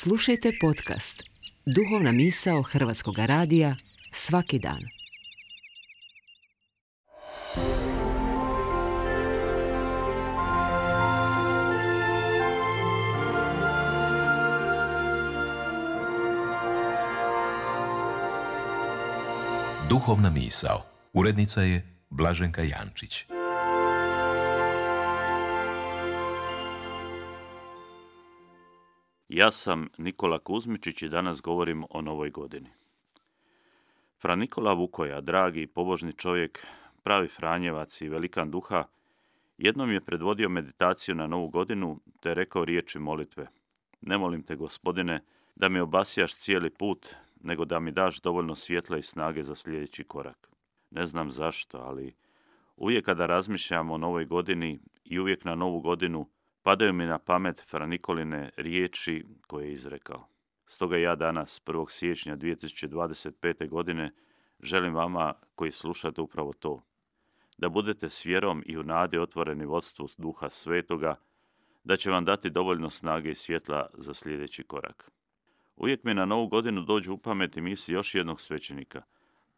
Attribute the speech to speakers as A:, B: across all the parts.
A: Slušajte podcast Duhovna misao Hrvatskog radija svaki dan.
B: Duhovna misao. Urednica je Blaženka Jančić.
C: Ja sam Nikola Kuzmičić i danas govorim o novoj godini. Fra Nikola Vukoja, dragi i pobožni čovjek, pravi Franjevac i velikan duha, jednom je predvodio meditaciju na novu godinu te rekao riječi molitve. Ne molim te, Gospodine, da mi obasjaš cijeli put, nego da mi daš dovoljno svjetla i snage za sljedeći korak. Ne znam zašto, ali uvijek kada razmišljam o novoj godini i uvijek na novu godinu, padaju mi na pamet Fra Nikoline riječi koje je izrekao. Stoga ja danas, 1. siječnja 2025. godine, želim vama koji slušate upravo to. Da budete s vjerom i u nadi otvoreni vodstvu Duha Svetoga, da će vam dati dovoljno snage i svjetla za sljedeći korak. Uvijek mi na novu godinu dođu u pamet i misli još jednog svećenika,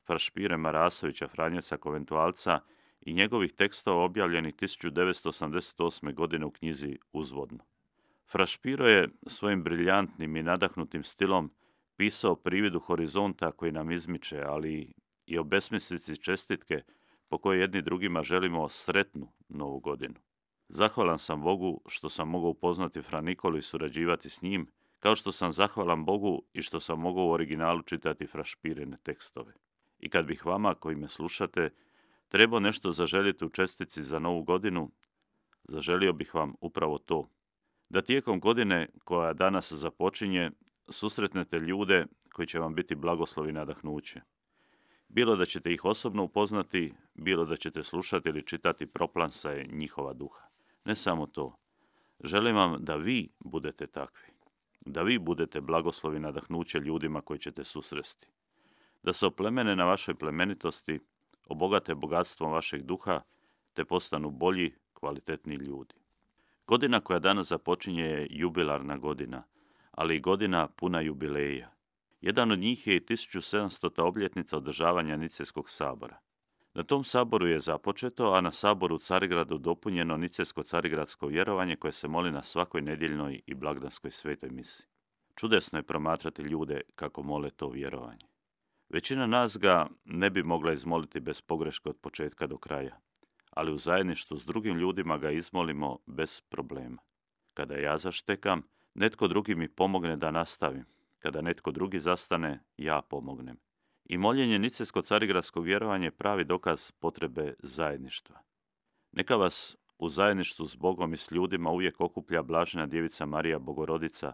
C: Fra Špire Marasovića, Franjevca Koventualca, i njegovih tekstova objavljenih 1988. godine u knjizi Uzvodno. Fra Špiro je svojim briljantnim i nadahnutim stilom pisao o prividu horizonta koji nam izmiče, ali i o besmislici čestitke po kojoj jedni drugima želimo sretnu novu godinu. Zahvalan sam Bogu što sam mogao upoznati Fra Nikolu i surađivati s njim, kao što sam zahvalan Bogu i što sam mogao u originalu čitati Fra Špirine tekstove. I kad bih vama, koji me slušate, trebao nešto zaželjeti u čestici za novu godinu, zaželio bih vam upravo to. Da tijekom godine koja danas započinje, susretnete ljude koji će vam biti blagoslovi i nadahnuće. Bilo da ćete ih osobno upoznati, bilo da ćete slušati ili čitati proplansaje njihova duha. Ne samo to. Želim vam da vi budete takvi. Da vi budete blagoslovi i nadahnuće ljudima koji ćete susresti. Da se oplemene na vašoj plemenitosti, obogate bogatstvom vašeg duha, te postanu bolji, kvalitetniji ljudi. Godina koja danas započinje je jubilarna godina, ali i godina puna jubileja. Jedan od njih je i 1700. obljetnica održavanja Nicejskog sabora. Na tom saboru je započeto, a na saboru u Carigradu dopunjeno nicejsko-carigradsko vjerovanje koje se moli na svakoj nedjeljnoj i blagdanskoj svetoj misi. Čudesno je promatrati ljude kako mole to vjerovanje. Većina nas ga ne bi mogla izmoliti bez pogreške od početka do kraja, ali u zajedništvu s drugim ljudima ga izmolimo bez problema. Kada ja zaštekam, netko drugi mi pomogne da nastavim. Kada netko drugi zastane, ja pomognem. I moljenje nicejsko-carigradskog vjerovanja je pravi dokaz potrebe zajedništva. Neka vas u zajedništvu s Bogom i s ljudima uvijek okuplja blažena djevica Marija Bogorodica,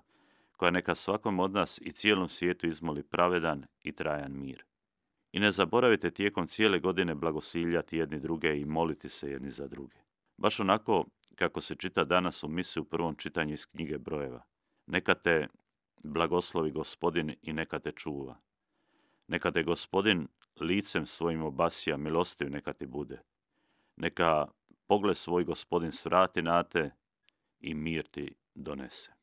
C: koja neka svakom od nas i cijelom svijetu izmoli pravedan i trajan mir. I ne zaboravite tijekom cijele godine blagosiljati jedni druge i moliti se jedni za druge. Baš onako kako se čita danas u misi u prvom čitanju iz knjige Brojeva. Neka te blagoslovi Gospodin i neka te čuva. Neka te Gospodin licem svojim obasja, milostiv neka ti bude. Neka pogled svoj Gospodin svrati na te i mir ti donese.